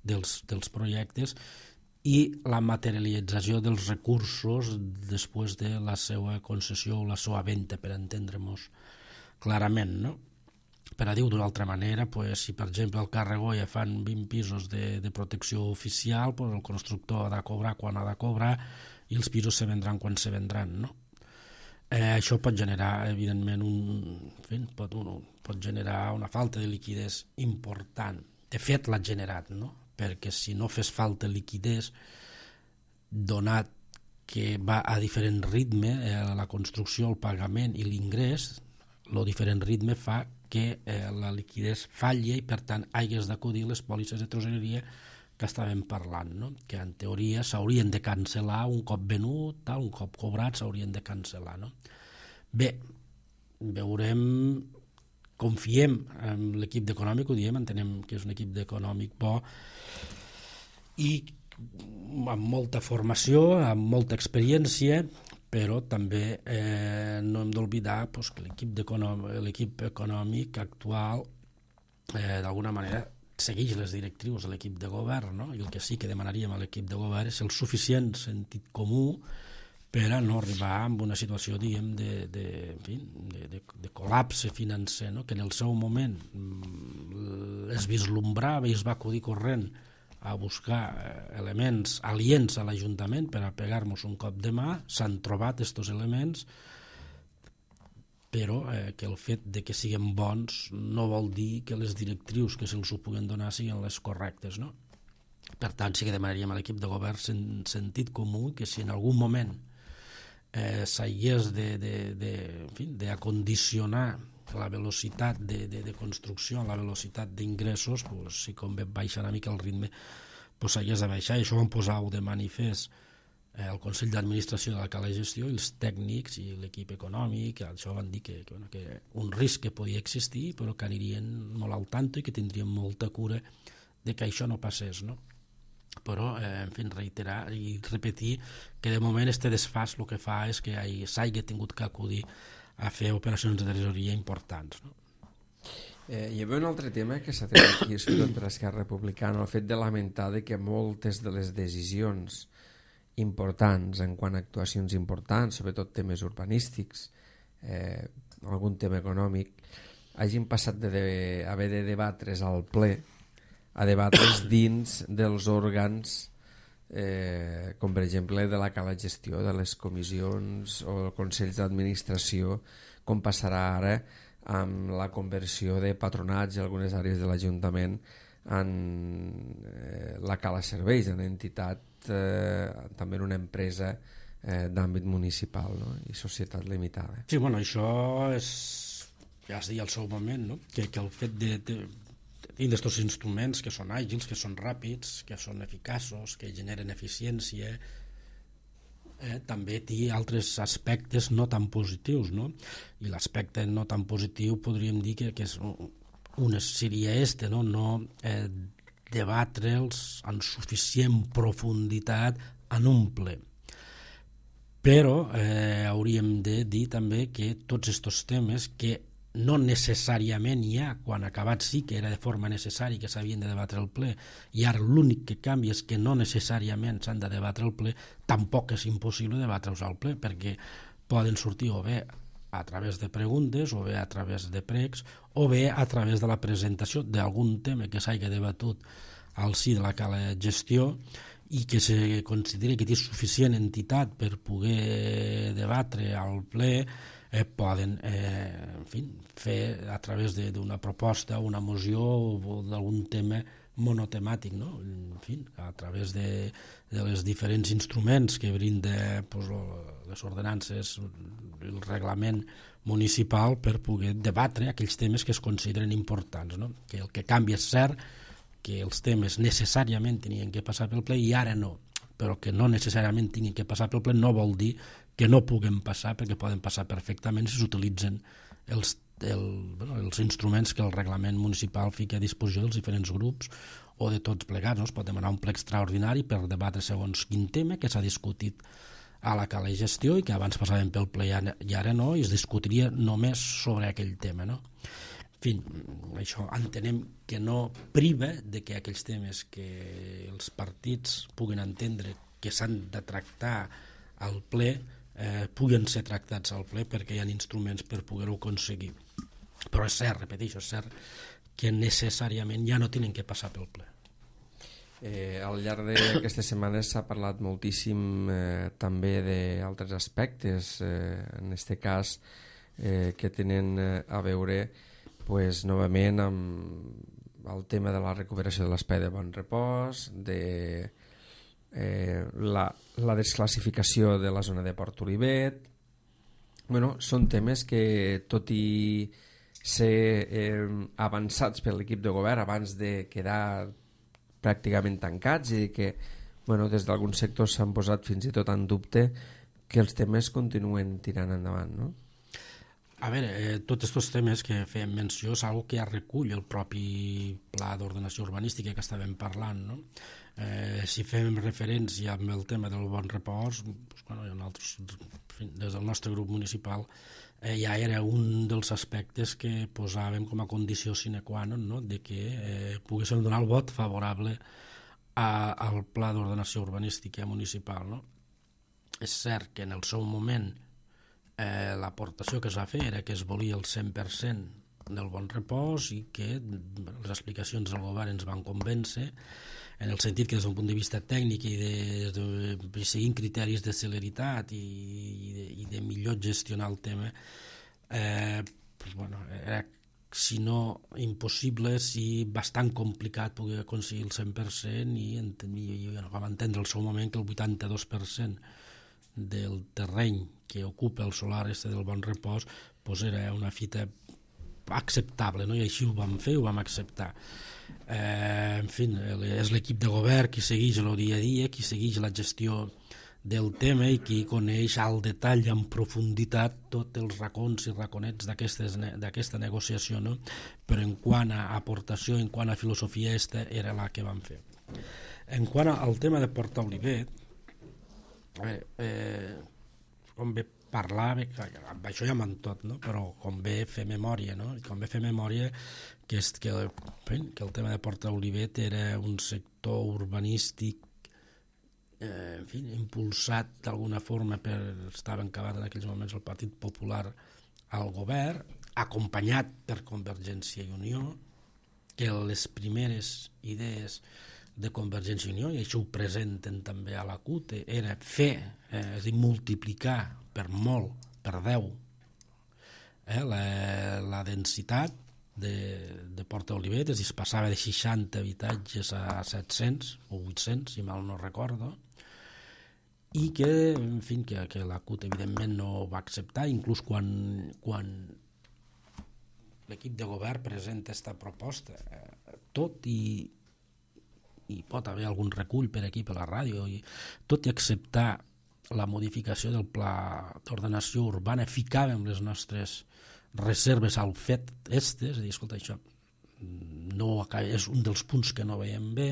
dels, dels projectes i la materialització dels recursos després de la seva concessió o la seva venda, per entendre-nos clarament, no? Per a dir-ho d'una altra manera, pues, si per exemple al Càrrego ja fan vint pisos de, de protecció oficial, pues, el constructor ha de cobrar quan ha de cobrar i els pisos se vendran quan se vendran, no? Eh, això pot generar, evidentment, un, en fi, pot, un, pot generar una falta de liquiditat important. De fet, l'ha generat, no? Perquè si no fes falta liquiditat, donat que va a diferent ritme, eh, la construcció, el pagament i l'ingrés, el diferent ritme fa que eh, la liquiditat falli i, per tant, hagués d'acudir les pòlisses de tresoreria que estàvem parlant, no? Que en teoria s'haurien de cancel·lar un cop venut, tal, un cop cobrat s'haurien de cancel·lar, no? Bé, veurem, confiem en l'equip d'econòmic, ho diem, entenem que és un equip d'econòmic bo i amb molta formació, amb molta experiència, però també eh, no hem d'oblidar pues, que l'equip, l'equip econòmic actual eh, d'alguna manera segueix les directrius de l'equip de govern, no? I el que sí que demanaríem a l'equip de govern és el suficient sentit comú per a no arribar a una situació, diguem, de, de, en fi, de, de, de col·lapse financer, no? Que en el seu moment es vislumbrava i es va acudir corrent a buscar elements aliens a l'Ajuntament per a pegar-nos un cop de mà. S'han trobat aquests elements, però eh, que el fet de que siguin bons no vol dir que les directrius que se'ls ho puguen donar siguin les correctes, no? Per tant, sí que demanaríem a l'equip de govern sen, sentit comú, que si en algun moment eh, s'hagués de, de, de, en fi, d'acondicionar la velocitat de, de, de construcció a la velocitat d'ingressos, pues, si convé baixar una mica el ritme, pues, s'hagués de baixar. I això ho vam posar de manifest el Consell d'Administració de la Cala Gestió i els tècnics i l'equip econòmic. Això van dir que, que, bueno, que un risc que podia existir, però que anirien molt al tanto i que tindrien molta cura de que això no passés, no? Però, eh, en fi, reiterar i repetir que de moment este desfàs el que fa és que s'hagi tingut que acudir a fer operacions de tresoreria importants, no? Eh, hi havia un altre tema que s'ha tret aquí contra Esquerra Republicana, el fet de lamentar de que moltes de les decisions importants en quant a actuacions importants, sobretot temes urbanístics, eh, algun tema econòmic, hagin passat de, de haver de debatre's al ple a debatre's dins dels òrgans eh, com per exemple de la Cala Gestió, de les comissions o consells d'administració, com passarà ara amb la conversió de patronats i algunes àrees de l'Ajuntament en eh, la Cala Serveis, en entitat, eh, també en una empresa eh, d'àmbit municipal, no? I societat limitada. Sí, bueno, això és, ja es deia al seu moment, no? que, que el fet de, de, de tindre aquests instruments que són àgils, que són ràpids, que són eficaços, que generen eficiència, eh, també té altres aspectes no tan positius, no? I l'aspecte no tan positiu podríem dir que, que és una seria este, no, no eh, debatre'ls en suficient profunditat en un ple. Però eh, hauríem de dir també que tots aquests temes que no necessàriament hi ha, quan acabat sí que era de forma necessària que s'havien de debatre al ple, i ara l'únic que canvia és que no necessàriament s'han de debatre al ple, tampoc és impossible debatre-los al ple, perquè poden sortir o bé a través de preguntes, o bé a través de pregs, o bé a través de la presentació d'algun tema que s'hagi debatut al si de la cala gestió i que se consideri que té suficient entitat per poder debatre al ple, eh, poden eh, en fi, fer a través d'una proposta, una moció o d'algun tema monotemàtic, no? En fi, a través de, de les diferents instruments que brinda pues, les ordenances, el reglament municipal per poder debatre aquells temes que es consideren importants, no? Que el que canvia és cert que els temes necessàriament tenien que passar pel ple i ara no, però que no necessàriament tinguin que passar pel ple no vol dir que no puguen passar, perquè poden passar perfectament si s'utilitzen els, el, bueno, els instruments que el reglament municipal fica a disposició dels diferents grups o de tots plegats, no? Es pot demanar un ple extraordinari per debatre segons quin tema que s'ha discutit a la cala de gestió i que abans passaven pel ple i ara no, i es discutiria només sobre aquell tema, no? En fi, això entenem que no priva de que aquells temes que els partits puguen entendre que s'han de tractar al ple eh, puguen ser tractats al ple perquè hi ha instruments per poder-ho aconseguir. Però és cert, repeteixo, és cert que necessàriament ja no tenen que passar pel ple. Eh, al llarg d'aquestes setmanes s'ha parlat moltíssim eh, també d'altres aspectes, eh, en aquest cas eh, que tenen eh, a veure pues, novament amb el tema de la recuperació de l'espai de bon repòs, de eh, la, la desclassificació de la zona de Port Olivet. Bueno, són temes que, tot i ser eh, avançats per l'equip de govern abans de quedar pràcticament tancats i que bueno, des d'alguns sectors s'han posat fins i tot en dubte, que els temes continuen tirant endavant, no? A veure, eh, tots aquests temes que fèiem menció és una que ja recull el propi pla d'ordenació urbanística que estàvem parlant, no? Eh, si fem referència amb el tema del bon repòs, doncs, bueno, nosaltres, des del nostre grup municipal, eh, ja era un dels aspectes que posàvem com a condició sine qua non, no? De que eh, poguéssim donar el vot favorable a, al pla d'ordenació urbanística municipal, no? És cert que en el seu moment Eh, l'aportació que es va fer era que es volia el cent per cent del bon repòs i que bueno, les explicacions del govern ens van convèncer en el sentit que des d'un punt de vista tècnic i de, de, de seguint criteris de celeritat i, i, de, i de millor gestionar el tema eh, pues, bueno, era si no impossible, si bastant complicat poder aconseguir el cent per cent i, i, i bueno, vam entendre al seu moment que el vuitanta-dos per cent del terreny que ocupa el solar este del bon repòs pues era una fita acceptable, no? I així ho vam fer, ho vam acceptar. Eh, en fi, és l'equip de govern qui segueix el dia a dia, qui segueix la gestió del tema i qui coneix al detall i en profunditat tots els racons i raconets d'aquesta negociació, no? Però en quant a aportació, en quant a filosofia, aquesta era la que vam fer. En quant al tema de Port Olivet, Eh, eh, com bé parlar, amb això ja m'han tot, no? Però com bé fer memòria, no? I com bé fer memòria que, és, que, que el tema de Port Olivet era un sector urbanístic eh, en fi, impulsat d'alguna forma per, estava encabat en aquells moments el Partit Popular al govern, acompanyat per Convergència i Unió, que les primeres idees de Convergència i Unió, i això ho presenten també a la C U T, era fer, eh, és a dir, multiplicar per molt, per deu, eh, la, la densitat de, de Porta Olivet, es passava de seixanta habitatges a set-cents o vuit-cents, si mal no recordo, i que, en fi, que, que la C U T evidentment no va acceptar, inclús quan, quan l'equip de govern presenta aquesta proposta, eh, tot i, i pot haver algun recull per aquí per la ràdio, i tot i acceptar la modificació del pla d'ordenació urbana, ficàvem les nostres reserves al fet este, és a dir, escolta, això no, és un dels punts que no veiem bé,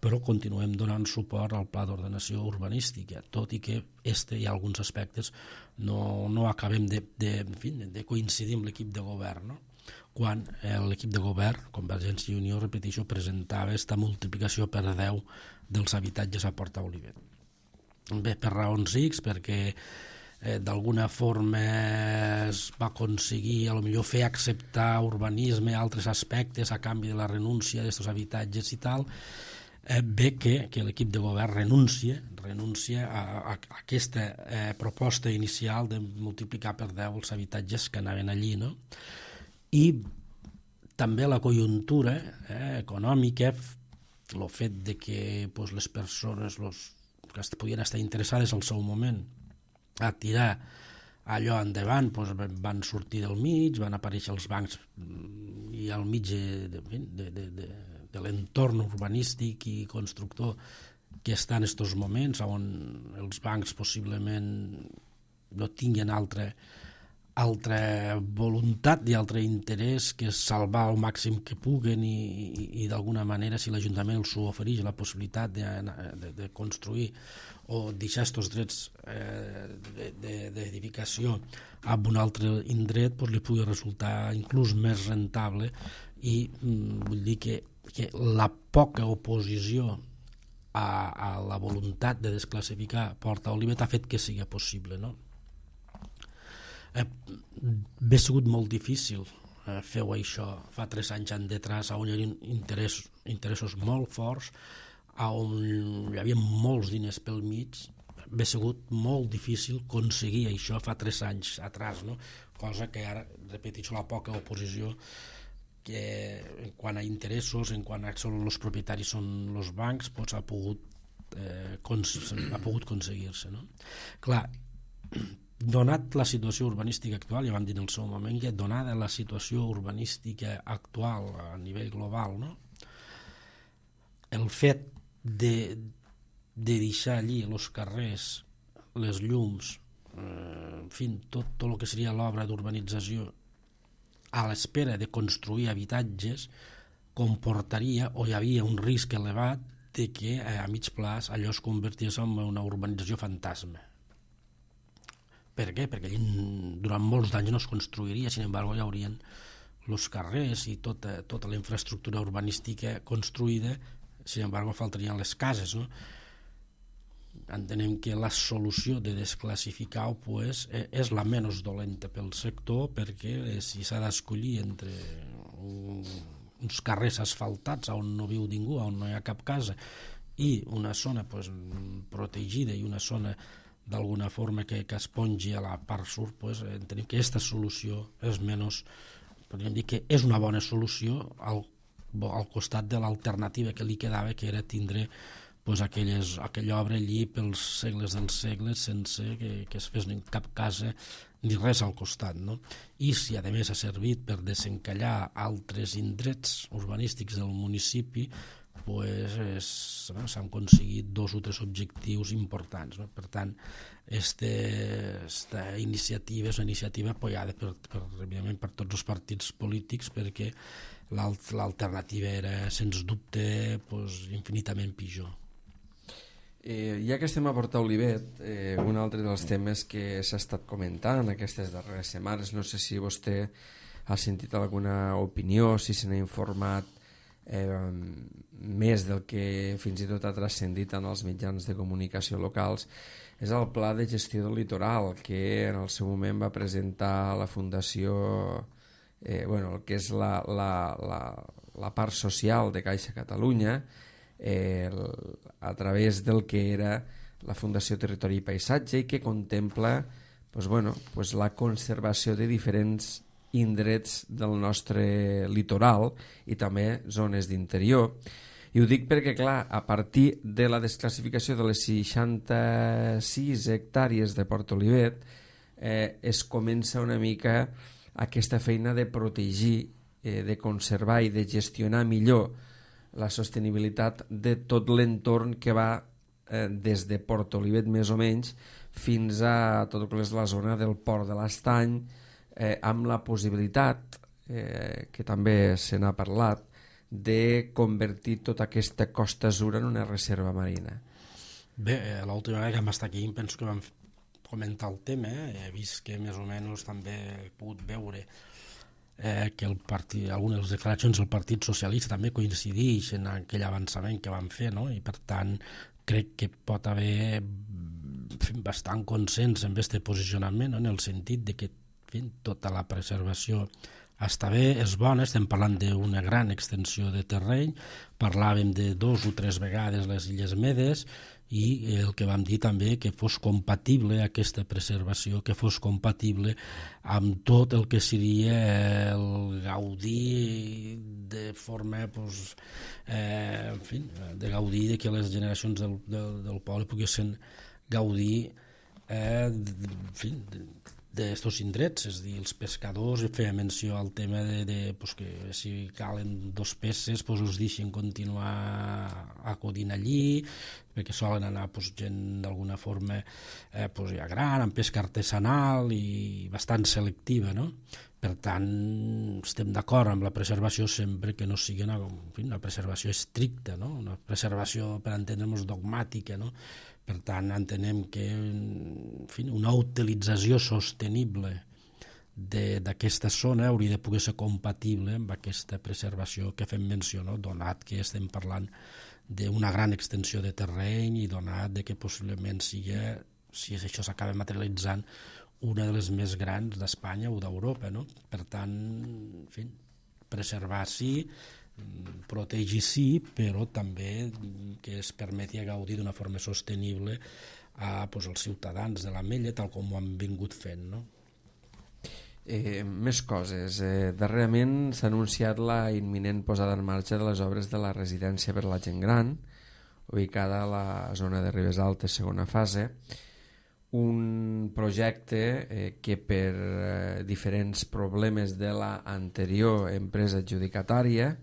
però continuem donant suport al pla d'ordenació urbanística, tot i que este hi ha alguns aspectes no, no acabem de, de, en fi, de coincidir amb l'equip de govern, no? Quan l'equip de govern, Convergència i Unió, repeteixo, presentava aquesta multiplicació per deu dels habitatges a Porta Olivet. Bé, per raons X, perquè eh, d'alguna forma es va aconseguir a lo millor fer acceptar urbanisme, altres aspectes a canvi de la renúncia d'aquests habitatges i tal, eh, bé que, que l'equip de govern renuncia, renuncia a, a, a aquesta eh, proposta inicial de multiplicar per deu els habitatges que anaven allí, no? I també la conjuntura eh, econòmica, el fet de que pues, les persones los, que podien estar interessades al seu moment a tirar allò endavant, doncs van sortir del mig, van aparèixer els bancs i al mig de, de, de, de, de l'entorn urbanístic i constructor que està en aquests moments, on els bancs possiblement no tinguin altra, altra voluntat i altre interès que salvar el màxim que puguen i, i, i d'alguna manera, si l'Ajuntament els ofereix la possibilitat de, de, de construir o deixar aquests drets eh, d'edificació a un altre indret, doncs li pugui resultar inclús més rentable i mm, vull dir que, que la poca oposició a, a la voluntat de desclassificar Porta Olivet ha fet que sigui possible, no? Eh, bé sigut molt difícil eh, feu això fa tres anys endetrás, on hi havia interès, interessos molt forts, on hi havia molts diners pel mig. Bé sigut molt difícil aconseguir això fa tres anys atrás, no? Cosa que ara, repeteixo, la poca oposició que en quant a interessos, en quant a que els propietaris són els bancs, doncs ha pogut, eh, ha pogut aconseguir-se, no? Clar, donat la situació urbanística actual, ja vam dir en el seu moment que donada la situació urbanística actual a nivell global, no? El fet de, de deixar allí els carrers, les llums, eh, en fi, tot, tot el que seria l'obra d'urbanització a l'espera de construir habitatges comportaria, o hi havia un risc elevat de que eh, a mig plaç allò es convertís en una urbanització fantasma. Per què? Perquè allí durant molts d'anys no es construiria, sin embargo hi haurien els carrers i tota, tota la infraestructura urbanística construïda, sin embargo faltarien les cases, no? Entenem que la solució de desclassificar-ho pues, és la menys dolenta pel sector, perquè si s'ha d'escollir entre uns carrers asfaltats on no viu ningú, on no hi ha cap casa, i una zona pues, protegida i una zona d'alguna forma que, que es pongi a la part sud, pues, entenem que aquesta solució és menys, podríem dir que és una bona solució al, al costat de l'alternativa que li quedava, que era tindre pues, aquelles, aquella obra allí pels segles dels segles sense que, que es fes ni cap casa ni res al costat, no? I si a més ha servit per desencallar altres indrets urbanístics del municipi, pues, s'han aconseguit dos o tres objectius importants, no? Per tant, aquesta iniciativa és una iniciativa apoyada per, per, per tots els partits polítics, perquè l'alternativa era, sens dubte, pues, infinitament pitjor. Eh, ja que estem a Porta Olivet, eh, un altre dels temes que s'ha estat comentant aquestes darreres setmanes, no sé si vostè ha sentit alguna opinió, si se n'ha informat eh, més del que fins i tot ha transcendit en els mitjans de comunicació locals, és el Pla de Gestió del Litoral, que en el seu moment va presentar la Fundació, eh, bueno, el que és la, la, la, la part social de Caixa Catalunya, eh, a través del que era la Fundació Territori i Paisatge, i que contempla pues, bueno, pues, la conservació de diferents indrets del nostre litoral i també zones d'interior. I ho dic perquè, clar, a partir de la desclassificació de les seixanta-sis hectàrees de Port Olivet eh, es comença una mica aquesta feina de protegir, eh, de conservar i de gestionar millor la sostenibilitat de tot l'entorn que va eh, des de Port Olivet més o menys fins a tot el que és la zona del Port de l'Estany, eh, amb la possibilitat, eh, que també se n'ha parlat, de convertir tota aquesta Costa Azura en una reserva marina. Bé, l'última vegada que vam estar aquí penso que vam comentar el tema, eh? He vist que més o menys també he pogut veure eh, que el partit, algunes de les declaracions del Partit Socialista també coincideixen en aquell avançament que van fer, no? I per tant crec que pot haver bastant consens en aquest posicionament, no? En el sentit de que fi, tota la preservació està bé, és bona, estem parlant d'una gran extensió de terreny, parlàvem de dos o tres vegades les Illes Medes i el que vam dir també que fos compatible aquesta preservació, que fos compatible amb tot el que seria el gaudir de forma, pues, eh, en fi, de gaudir de que les generacions del, del, del poble poguessin gaudir eh, de, en fi, de, d'estos indrets, és a dir, els pescadors, feia menció al tema de, de pues, que si calen dos peces pues, us deixen continuar acudint allí, perquè solen anar pues, gent d'alguna forma eh, pues, ja gran, amb pesca artesanal i bastant selectiva, no? Per tant, estem d'acord amb la preservació sempre que no sigui una, en fi, una preservació estricta, no? Una preservació, per entendre'ns, dogmàtica, no? Per tant, entenem que en fi, una utilització sostenible d'aquesta zona hauria de poder ser compatible amb aquesta preservació que fem menció, no? Donat que estem parlant d'una gran extensió de terreny i donat de que possiblement sigui, si això s'acaba materialitzant, una de les més grans d'Espanya o d'Europa, no? Per tant, en fi, preservar sí, protegir sí, però també que es permeti gaudir d'una forma sostenible a, pues, als ciutadans de l'Ametlla, tal com ho han vingut fent, no? Eh, més coses. Eh, darrerament s'ha anunciat la imminent posada en marxa de les obres de la residència per a la gent gran, ubicada a la zona de Ribes Altes, segona fase, un projecte eh, que per eh, diferents problemes de la anterior empresa adjudicatària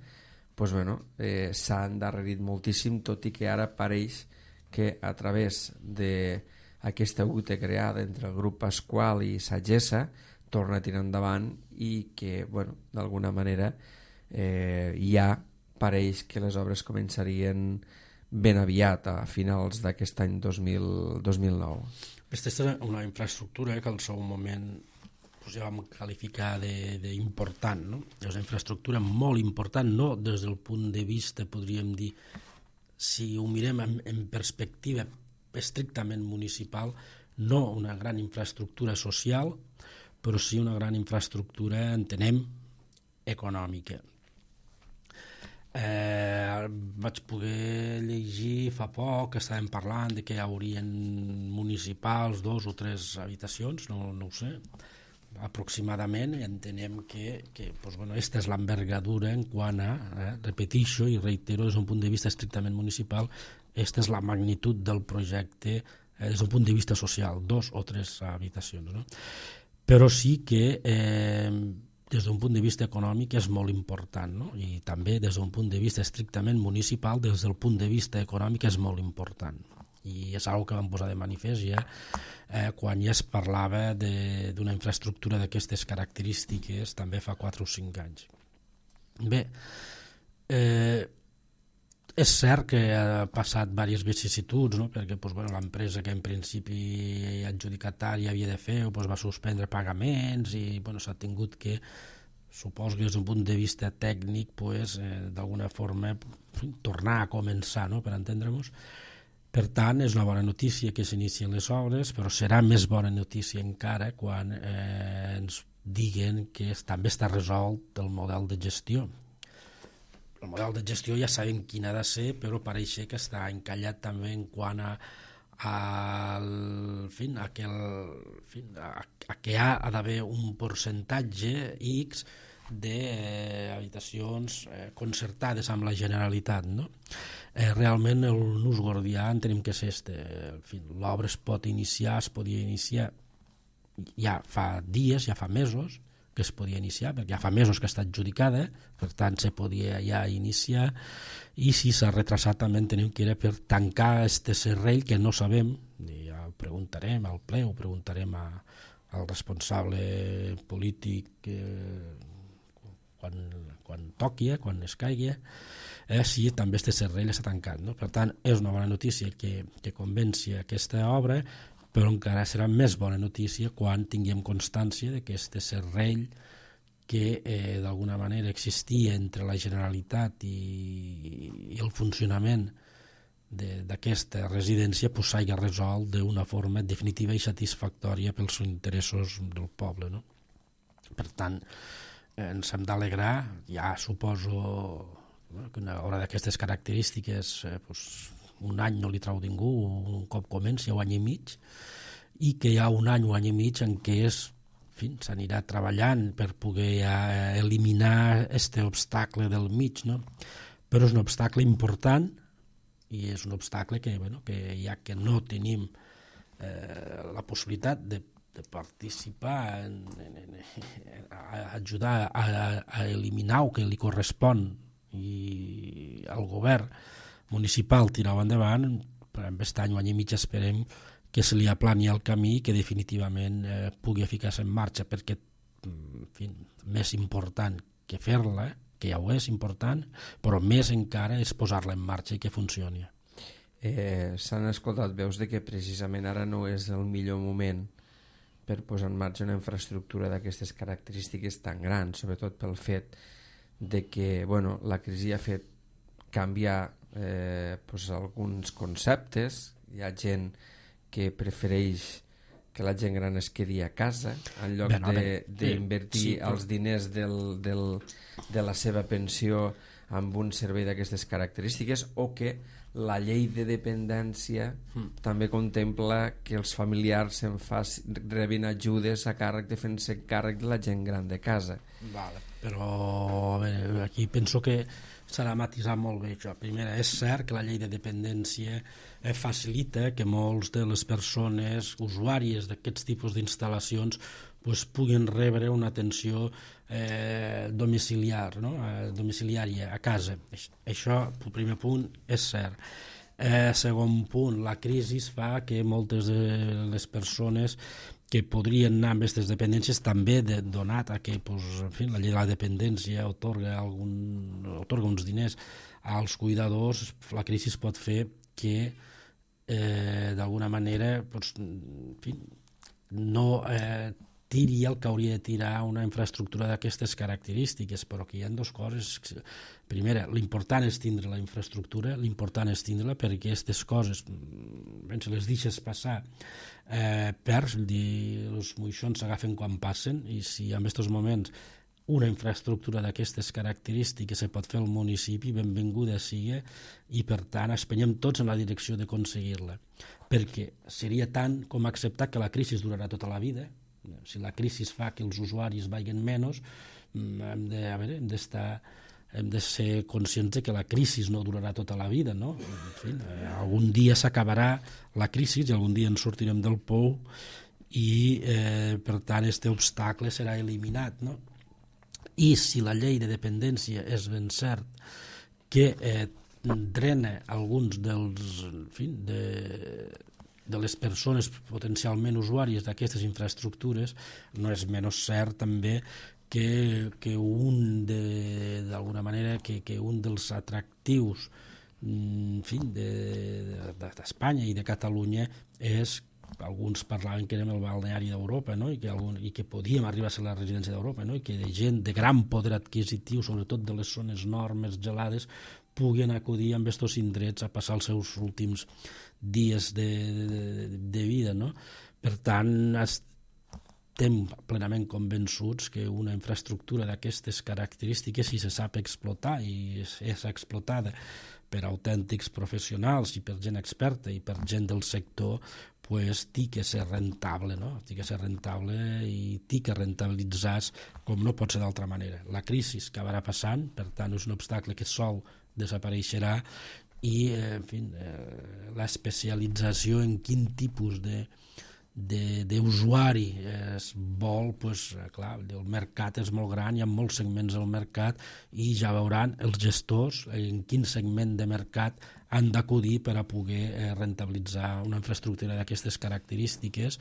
pues, bueno, eh, s'ha endarrerit moltíssim, tot i que ara pareix que a través d'aquesta U T E creada entre el grup Pasqual i Sagessa torna a tirar endavant i que bueno, d'alguna manera eh, ja pareix que les obres començarien ben aviat a finals d'aquest any dos mil nou. Aquesta és una infraestructura que al seu moment pues, ja vam qualificar d'important, no? És una infraestructura molt important, no des del punt de vista, podríem dir, si ho mirem en, en perspectiva estrictament municipal, no una gran infraestructura social, però sí una gran infraestructura, entenem, econòmica. Eh, vaig poder llegir fa poc que estàvem parlant de que hi haurien municipals dos o tres habitacions, no, no ho sé, aproximadament, i entenem que, que pues, bueno, aquesta és l'envergadura en quant a, eh, repetixo i reitero des d'un punt de vista estrictament municipal, aquesta és la magnitud del projecte eh, des d'un punt de vista social, dos o tres habitacions, no? Però sí que eh, des d'un punt de vista econòmic és molt important, no? I també des d'un punt de vista estrictament municipal, des del punt de vista econòmic és molt important. I és una cosa que vam posar de manifest ja eh, quan ja es parlava d'una infraestructura d'aquestes característiques també fa quatre o cinc anys. Bé, eh, és cert que ha passat diverses vicissituds, no? Perquè pues, bueno, l'empresa que en principi adjudicatària havia de fer pues, va suspendre pagaments i bueno, s'ha tingut que, suposo que des d'un punt de vista tècnic pues, eh, d'alguna forma tornar a començar, no? Per entendre-nos. Per tant, és una bona notícia que s'inicien les obres, però serà més bona notícia encara quan eh, ens diguen que també està resolt el model de gestió. El model de gestió ja sabem quin ha de ser, però pareix que està encallat també en quant a, al, en fi, a, que el, en fi, a, a que ha, ha d'haver un percentatge X d'habitacions eh, concertades amb la Generalitat, no? Eh, realment el nus gordià entenem que és este. En fi, l'obra es pot iniciar, es podia iniciar ja fa dies, ja fa mesos que es podia iniciar, perquè ja fa mesos que està adjudicada, per tant se podia ja iniciar, i si s'ha retrasat també entenem que era per tancar este serrell que no sabem, i ja ho preguntarem al ple, ho preguntarem a, al responsable polític eh, quan, quan toqui, quan es caigui, eh, si també este serrell s'ha tancat, no? Per tant, és una bona notícia que, que convenci aquesta obra, però encara serà més bona notícia quan tinguem constància de que este serrell que eh, d'alguna manera existia entre la Generalitat i, i el funcionament d'aquesta residència pues, s'hagi resolt d'una forma definitiva i satisfactòria pels interessos del poble, no? Per tant, eh, ens hem d'alegrar, ja suposo bueno, que una obra d'aquestes característiques eh, pues, un any no li trau ningú, un cop comenci, un any i mig, i que hi ha un any, un any i mig en què s'anirà treballant per poder eh, eliminar este obstacle del mig, no? Però és un obstacle important i és un obstacle que, bueno, que ja que no tenim eh, la possibilitat de, de participar en, en, en, a ajudar a, a eliminar o que li correspon i al govern municipal tirar-ho endavant, per aquest any o any i mig esperem que se li aplani el camí i que definitivament eh, pugui ficar-se en marxa, perquè en fi, més important que fer-la, que ja ho és important, però més encara és posar-la en marxa i que funcioni. Eh, S'han escoltat veus de que precisament ara no és el millor moment per posar en marxa una infraestructura d'aquestes característiques tan grans, sobretot pel fet de que bueno, la crisi ha fet canviar eh, pues alguns conceptes. Hi ha gent que prefereix que la gent gran es quedi a casa en lloc d'invertir sí, els però... diners del, del, de la seva pensió amb un servei d'aquestes característiques, o que la llei de dependència mm. també contempla que els familiars se'n faci, rebin ajudes a càrrec de fent-se càrrec de la gent gran de casa. Vale. Però a veure, aquí penso que s'ha de matisar molt bé això. Primera, és cert que la llei de dependència eh, facilita que molts de les persones usuàries d'aquests tipus d'instal·lacions pues, puguin rebre una atenció eh, domiciliar, no? eh, domiciliària a casa. Això, el primer punt, és cert. Eh, segon punt, la crisi fa que moltes de les persones que podrien anar amb aquestes dependències també de, donat a que pues, en fi, la llei de la dependència otorga, algun, otorga uns diners als cuidadors, la crisi pot fer que eh, d'alguna manera pues, en fi, no eh, tiri el que hauria de tirar una infraestructura d'aquestes característiques, però que hi ha dues coses. Primera, l'important és tindre la infraestructura, l'important és tindre-la perquè aquestes coses, ben se les deixes passar, eh, perds, els moixons s'agafen quan passen, i si en aquests moments una infraestructura d'aquestes característiques se pot fer al municipi, benvinguda sigui, i per tant espenyem tots en la direcció d'aconseguir-la, perquè seria tant com acceptar que la crisi durarà tota la vida. Si la crisi fa que els usuaris vagin menys, hem de, a veure, hem d'estar hem de ser conscients de que la crisi no durarà tota la vida, no? En fi, eh, algun dia s'acabarà la crisi i algun dia ens sortirem del pou i eh, per tant aquest obstacle serà eliminat, no? I si la llei de dependència és ben cert que eh, drena alguns dels, en fi, de, de les persones potencialment usuàries d'aquestes infraestructures, no és menys cert també que, que un de, d'alguna manera que, que un dels atractius en fi, d'Espanya de, de, i de Catalunya és, alguns parlaven que érem el balneari d'Europa, no? I, que algun, i que podíem arribar a ser la residència d'Europa, no? I que de gent de gran poder adquisitiu, sobretot de les zones nord més gelades, puguin acudir amb aquests indrets a passar els seus últims dies de, de, de vida, no? Per tant, es, estem plenament convençuts que una infraestructura d'aquestes característiques, si se sap explotar i és, és explotada per autèntics professionals i per gent experta i per gent del sector, pues té que ser rentable, no? Té que ser rentable i té que rentabilitzar com no pot ser d'altra manera. La crisi acabarà passant, per tant és un obstacle que sol desapareixerà i eh, en fi, eh, l'especialització en quin tipus de d'usuari es vol, pues, clar, el mercat és molt gran, hi ha molts segments al mercat i ja veuran els gestors en quin segment de mercat han d'acudir per a poder rentabilitzar una infraestructura d'aquestes característiques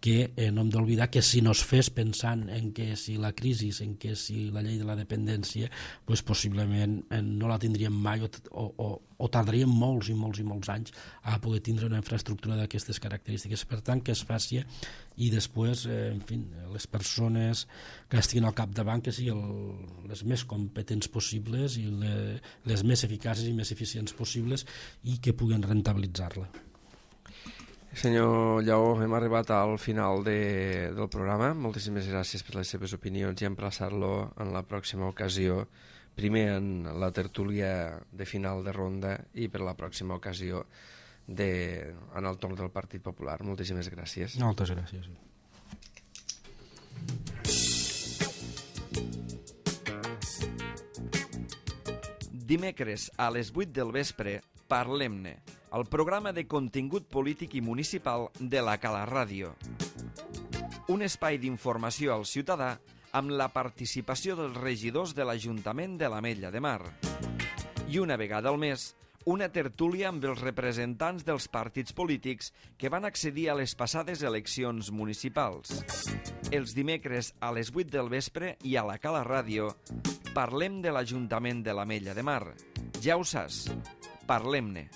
que eh, no hem d'oblidar que si no es fes pensant en que si la crisi, en que si la llei de la dependència, pues possiblement eh, no la tindríem mai o, o, o tardaríem molts i molts i molts anys a poder tindre una infraestructura d'aquestes característiques. Per tant, que es faci i després, eh, en fi, les persones que estiguin al capdavant que siguin el, les més competents possibles i le, les més eficaces i més eficients possibles i que puguen rentabilitzar-la. Senyor Lleó, hem arribat al final de, del programa. Moltíssimes gràcies per les seves opinions i emplaçar-lo en la pròxima ocasió, primer en la tertúlia de final de ronda i per la pròxima ocasió de, en el torn del Partit Popular. Moltíssimes gràcies. Moltes gràcies. Dimecres a les vuit del vespre, Parlem-ne, el programa de contingut polític i municipal de la Cala Ràdio. Un espai d'informació al ciutadà amb la participació dels regidors de l'Ajuntament de l'Ametlla de Mar. I una vegada al mes, una tertúlia amb els representants dels partits polítics que van accedir a les passades eleccions municipals. Els dimecres a les vuit del vespre i a la Cala Ràdio parlem de l'Ajuntament de l'Ametlla de Mar. Ja ho saps, parlem-ne.